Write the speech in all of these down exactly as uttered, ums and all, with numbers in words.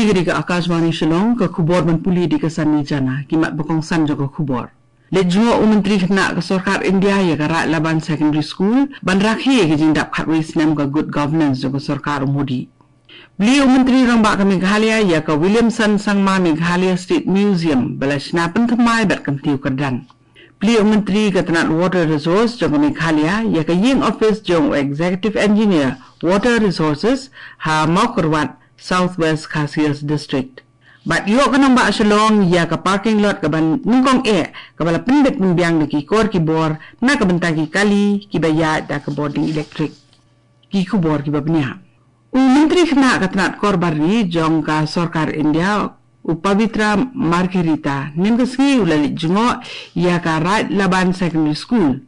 Ïa ka Akashvani Shillong, ka khubor ban pule da ka Sani Jana, ki mat ba kongsan jong ka khubor. Leit jngoh u Myntri Khynnah ka Sorkar India ïa ka Raid Laban Secondary School ban rakhe ïa ka jingdap khatwei snem ka Good Governance jong ka Sorkar u Modi. Plie u Myntri Rangbah ka Meghalaya ïa ka Williamson Sangma Meghalaya State Museum ba la shna pynthymmai bad kyntiew kyrdan. Plie u Myntri ka tnat Water Resource jong ka Meghalaya ïa ka ïing office jong u Executive Engineer Water Resources ha Mawkyrwat, South West Khasi Hills District. Bad ïoh ka nongbah Shillong ïa ka parking lot kaba nyngkong eh kaba la pynbit pynbiang da ki kor ki bor na ka bynta ki kali kiba ïaid da ka bording elektrik. Ki khubor kiba bniah. U Myntri Khynnah ka tnat Kor Bar Ri jong ka Sorkar India, u Pabitra Margherita, mynta ka sngi u la leit jngoh ïa ka Raid Laban Secondary School.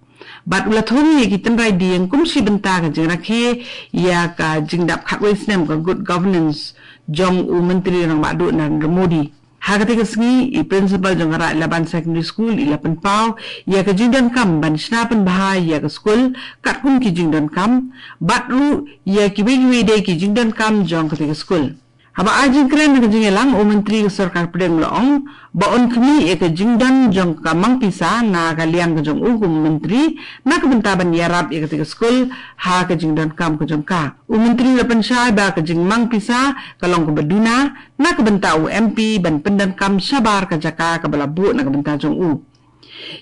Bad u la thung ïa ki tynrai dieng kum shi bynta ka jingrakhe ïa ka jingdap khatwei snem ka Good Governance jong u Myntri Rangbah Duh Narendra Modi. Ha katei ka sngi, i principal jong ka Raid Laban Secondary School i la pynpaw ïa ka jingdonkam ban shna pynbha ïa ka skul katkum ki jingdonkam, bad ruh ïa kiwei kiwei de ki jingdonkam jong katei ka skul. Haba ai jingkren ha ka jingïalang, u Myntri ka Sorkar Pdeng u la ong ba un khmih ïa ka jingdon jong ka mang pisa na ka liang ka jong u kum u Myntri na ka bynta ban ïarap ïa katei ka skul ha ka jingdonkam ka jong ka. U Myntri u la pynshai ba ka jingmang pisa ka long kaba duna na ka bynta u M P ban pyndonkam shabar ka jaka kaba la buh na ka bynta jong u.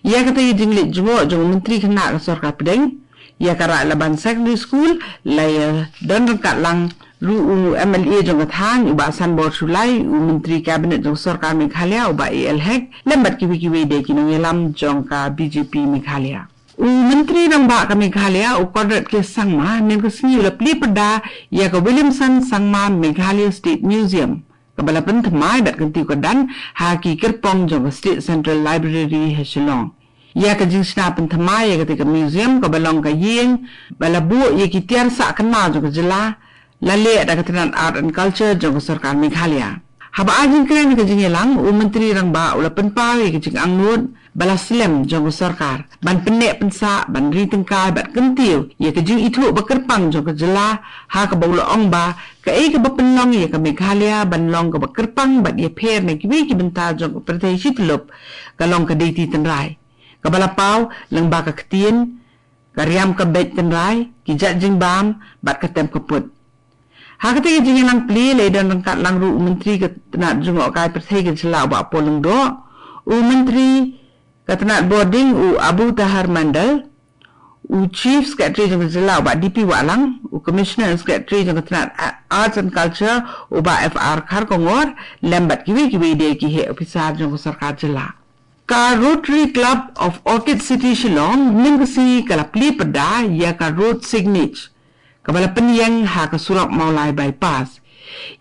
Ïa katei ka jingleit jngoh jong u Myntri Khynnah ka Sorkar Pdeng ïa ka Raid Laban Secondary School la ïa don ryngkat lang ruh u M L A jong ka thaiñ u Bah Sanbor Shullai, u Myntri Cabinet jong ka Sorkar Meghalaya u Bah A L Hek, lem bad kiwei kiwei de ki nongïalam jong ka B J P Meghalaya. U Myntri Rangbah ka Meghalaya u Conrad K Sangma mynta ka sngi u la plie pyrda ïa ka Williamson Sangma Meghalaya State Museum, kaba la pynthymmai bad kyntiew kyrdan ha ki kyrpong jong ka State Central Library ha Shillong. Ïa ka jingshna pynthymmai ïa katei ka museum kaba long ka ïing ba la buh ïa ki tiar sah kynmaw jong ka jylla, la leh da ka tnat Art and Culture jong ka Sorkar Meghalaya. Haba ai jingkren ha ka jingïalang, u Myntri Rangbah u la pynpaw ïa ka jingangnud ba la slem jong ka sorkar ban pynneh pynsah, ban ri tyngkai bad kyntiew ïa ka jingithuh ba kyrpang jong ka jylla, ha kaba u la ong ba kaei kaba pynlong ïa ka Meghalaya ban long kaba kyrpang bad ïapher na kiwei ki bynta jong ka pyrthei shi tyllup ka long ka deiti tynrai, kaba la paw lyngba ka ktien, ka riam ka beit tynrai, ki jait jingbam bad ka tem ka put. Ha katei ka jingïalang plie la ïa don ryngkat lang ruh u Myntri ka tnat jngohkai pyrthei ka jylla u Bah Paul Lyngdoh, u Myntri ka tnat bording u Abu Taher Mondal, u Chief Secretary jong ka jylla u Bah D P Wahlang, u Commissioner and Secretary jong ka tnat A-, Arts and Culture u Bah F R Kharkongor, lem bad kiwei kiwei de ki heh ophisar jong ka sorkar jylla. Ka Rotary Club of Orchid City Shillong mynta ka sngi ka la plie pyrda ïa ka road signage kaba la pynïeng ha ka surok Mawlai Bypass.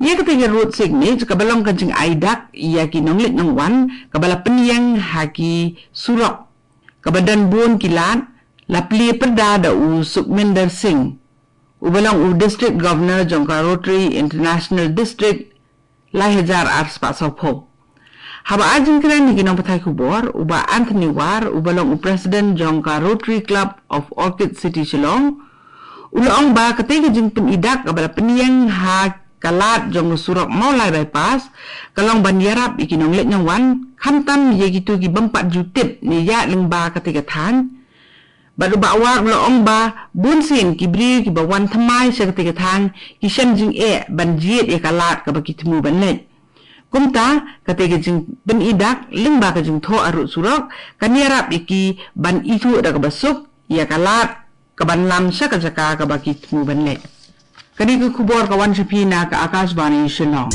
Ïa katei ka road signage kaba long ka jingai dak ïa ki nongleit nongwan kaba la pynïeng ha ki surok kaba don bun ki lad, la plie pyrda da u Sukhminder Singh, uba long u District Governor jong ka Rotary International District, lai hajar arspah sawphew. Haba ai jingkren ïa ki nongpathai khubor, u Bah Anthony War, uba long u President jong ka Rotary Club of Orchid City Shillong, u la ong ba katei ka jingpyni dak kaba la pynïeng ha ka lad jong ka surok Mawlai Bypass ka long ban ïarap ïa ki nongleit nongwan, khamtam ïa kito ki bym pat ju tip ne ïaid lyngba katei ka thaiñ. Bad u Bah War u la ong ba bunsien ki briew kiba wan thymmai sha katei ka thaiñ ki shem jingeh ban jied ïa ka lad kaba ki thmu ban leit. Kumta, katei ka jingpyni dak lyngba ka jingthoh arud surok kan ïarap ïa ki ban ithuh da kaba suk ïa ka lad kaban lam sha ka jaka kaba ki thmu ban leit. Kane ka khubor ka wan sha phi na ka Akashvani Shillong.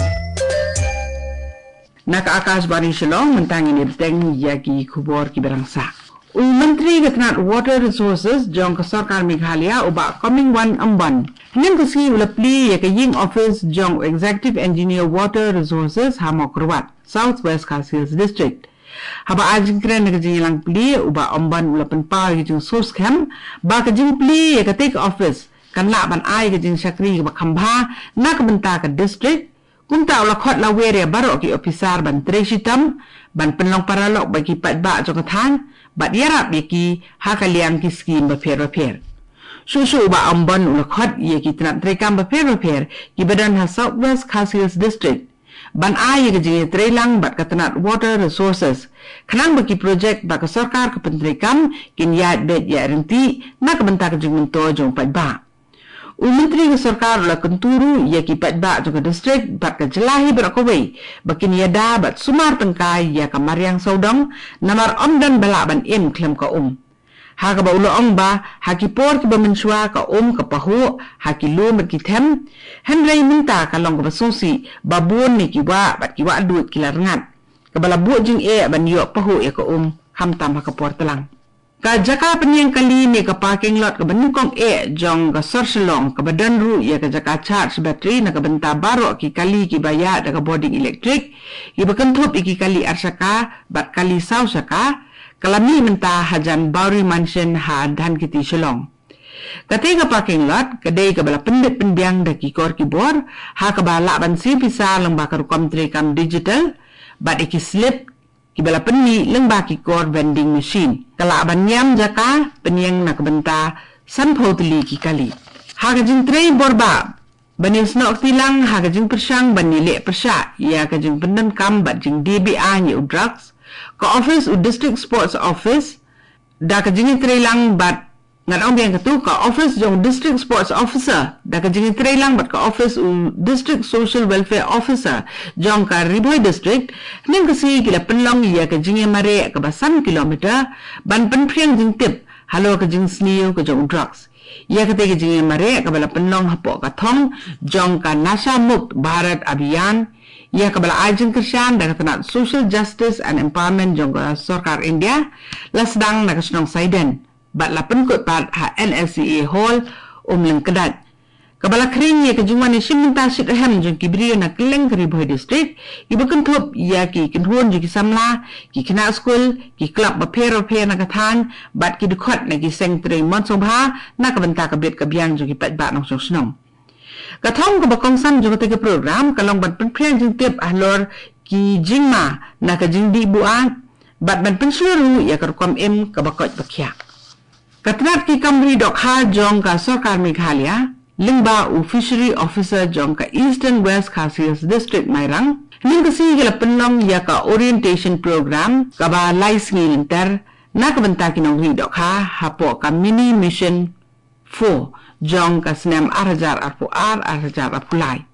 Na ka Akashvani Shillong, mynta ngin ïa bteng ïa ki khubor kiba dang sah. U Myntri ka tnat Water Resources jong ka Sorkar Meghalaya u Bah Comingone Ymbon mynta ka sngi u la plie ïa ka ïing office jong u Executive Engineer Water Resources ha Mawkyrwat, South West Khasi Hills District. Haba ai jingkren ha ka jingïalang plie, u Bah Ymbon u la pynpaw ïa ka jingsngewskhem ba ka jingplie ïa katei ka office kan lah ban ai ka jingshakri kaba kham bha na ka bynta ka district. Kumta u la khot lawer ïa baroh ki ophisar ban trei shitom, ban pynlong paralok bad ki paidbah jong ka thaiñ bad ïarap ïa ki ha ka liang ki skhim bapher bapher. Shuh shuh u Bah Ymbon u la khot ïa ki tnat treikam bapher bapher kiba don ha South West Khasi Hills District ban ai ïa ka jingïatreilang bad ka tnat Water Resources, khnang ba ki projek ba ka sorkar ka pyntreikam kin ïaid beit ïaid ryntih na ka bynta ka jingmyntoi jong u paidbah. U Myntri ka sorkar u la kyntu ruh ïa ki paidbah jong ka district bad ka jylla hi baroh kawei ba kin ïada bad sumar tyngkai ïa ka mariang sawdong, namar ym don ba lah ban im khlem ka um. Ha kaba u la ong ba ha ki por kiba mynshuwa ka um ka pahuh ha ki lum bad ki them, hynrei mynta ka long kaba sngewsih ba bun na ki wah bad ki wah duid ki la rngat, kaba la buh jingeh ban ïoh pahuh ïa ka um, khamtam ha ka por tlang. Ka jaka pynïeng kali ne ka parking lot kaba nyngkong eh jong ka sor Shillong, kaba don ruh ïa ka jaka charge battery na ka bynta baroh ki kali kiba ïaid da ka bording elektrik, kiba kynthup ïa ki kali ar shaka bad kali saw shaka, ka la mih mynta hajan Bowery Mansion ha Dhankheti, Shillong. Kata ka parking lot ka dei kaba la pynbit pynbiang da ki kor ki bor, ha kaba lah ban siew pisa lyngba ka rukom treikam digital, bad ïa ki slip kiba la pynmih lyngba ki kor vending machine. Ka lah ban ñiam jaka pynïeng na ka bynta sanphew tylli ki kali. Ha ka jingtrei bor ba ban ïasnoh kti lang ha ka jingpyrshang ban ïaleh pyrshah ïa ka jingpyndonkam bad jingdie be-aiñ ïa u drugs, ka office u District Sports Office, da ka jingïatreilang bad ngan ong biang katu, ka office jong District Sports Officer, da ka jingïatreilang bad ka office u District Social Welfare Officer jong ka Ri Bhoi District, hynnin ka sngi ki la pynlong ïa ka jingïamareh kaba san kilometer ban pynphriang jingtip halor ka jingsniew ka jong u drugs. Ïa kata ka jingïamareh kaba la pynlong hapoh ka thong jong ka Nasha Mukt Bharat Abhiyan, ïa kaba la ai jingkyrshan da ka tnat Social Justice and Empowerment jong ka sorkar India, la sdang na ka shnong Saiden bad la pynkut pat ha N S C A Hall, Umlyngkdait, kaba la khring ïa ka jingwan ïashim bynta shitrhem jong ki briew na kylleng ka Ri Bhoi District, kiba kynthup ïa ki kynhun jong ki samla, ki khynnah skul, ki club bapher bapher na ka thaiñ, bad ki dkhot na ki seng trei mon sngewbha na ka bynta ka bit ka biang jong ki paidbah nongshong shnong. Ka thong kaba kongsan jong kata ka program ka long ban pynphriang jingtip halor ki jingma na ka jingdih buaid, bad ban pynshlur ruh ïa ka rukom im kaba koit ba khiah. Ka tnat ki kam ri dohkha jong ka sorkar Meghalaya, lyngba u Fishery Officer jong ka Eastern West Khasi Hills District, Mairang, hynnin ka sngi ki la pynlong ïa ka orientation program kaba lai sngi lynter na ka bynta ki nongri dohkha hapoh ka Mini Mission four jong ka snem ar hajar arphew ar, ar hajar arphew lai.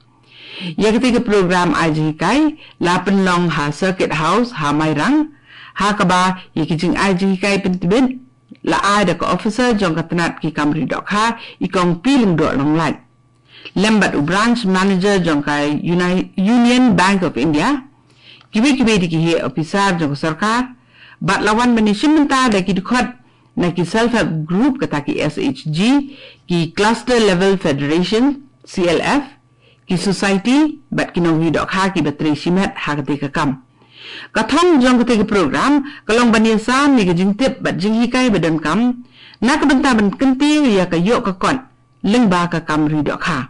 Ïa kata ka program ai jinghikai la pynlong ha Circuit House ha Mairang, ha kaba ïa ki jingai jinghikai pyntbit la ai da ka officer jong ka tnat ki kam ri dohkha, i Kong P. Lyngdoh Nonglait, lem bad u branch manager jong ka Uni-, Union Bank of India, kiwei kiwei de ki heh officer jong ka sorkar, bad la wan ban ïashim bynta da ki dkhot na ki self help group, kata ki S H G, ki cluster level federation, C L F, ki society bad ki nongri dohkha kiba trei shimet ha kata ka kam. Ka thong jong kata ka program ka long ban ïasam ïa ka jingtip bad jinghikai ba donkam na ka bynta ban kyntiew ïa ka ïoh ka kot lyngba ka kam ri dohkha,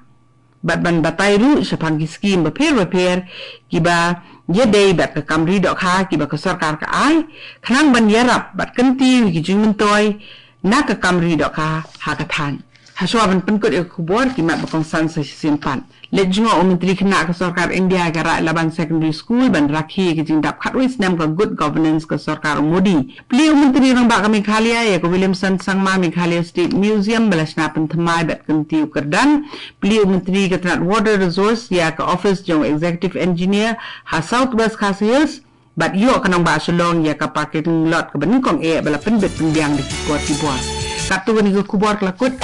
bad ban batai ruh shaphang ki skim bapher bapher kiba ïadei bad ka kam ri dohkha kiba ka sorkar ka ai, khnang ban ïarap bad kyntiew ïa ki jingmyntoi na ka kam ri dohkha ha ka thaiñ. Hashwa ban pynkut ïa ka khubor, ki mat ba kongsan sa shisien pat. Leit jngoh u Myntri Khynnah ka sorkar India ïa ka Raid Laban Secondary School ban rakhe ïa ka jingdap khatwei snem ka Good Governance ka sorkar u Modi. Plie u Myntri Rangbah ka Meghalaya ïa ka Williamson Sangma Meghalaya State Museum ba la shna pynthymmai bad kyntiew kyrdan. Plie u Myntri ka tnat Water Resource ïa ka office jong u Executive Engineer ha South West Khasi Hills, bad ïoh ka nongbah Shillong ïa ka parking lot kaba nyngkong eh ba la pynbit pynbiang da ki kor ki bor. Katto kane ka khubor ka la kut.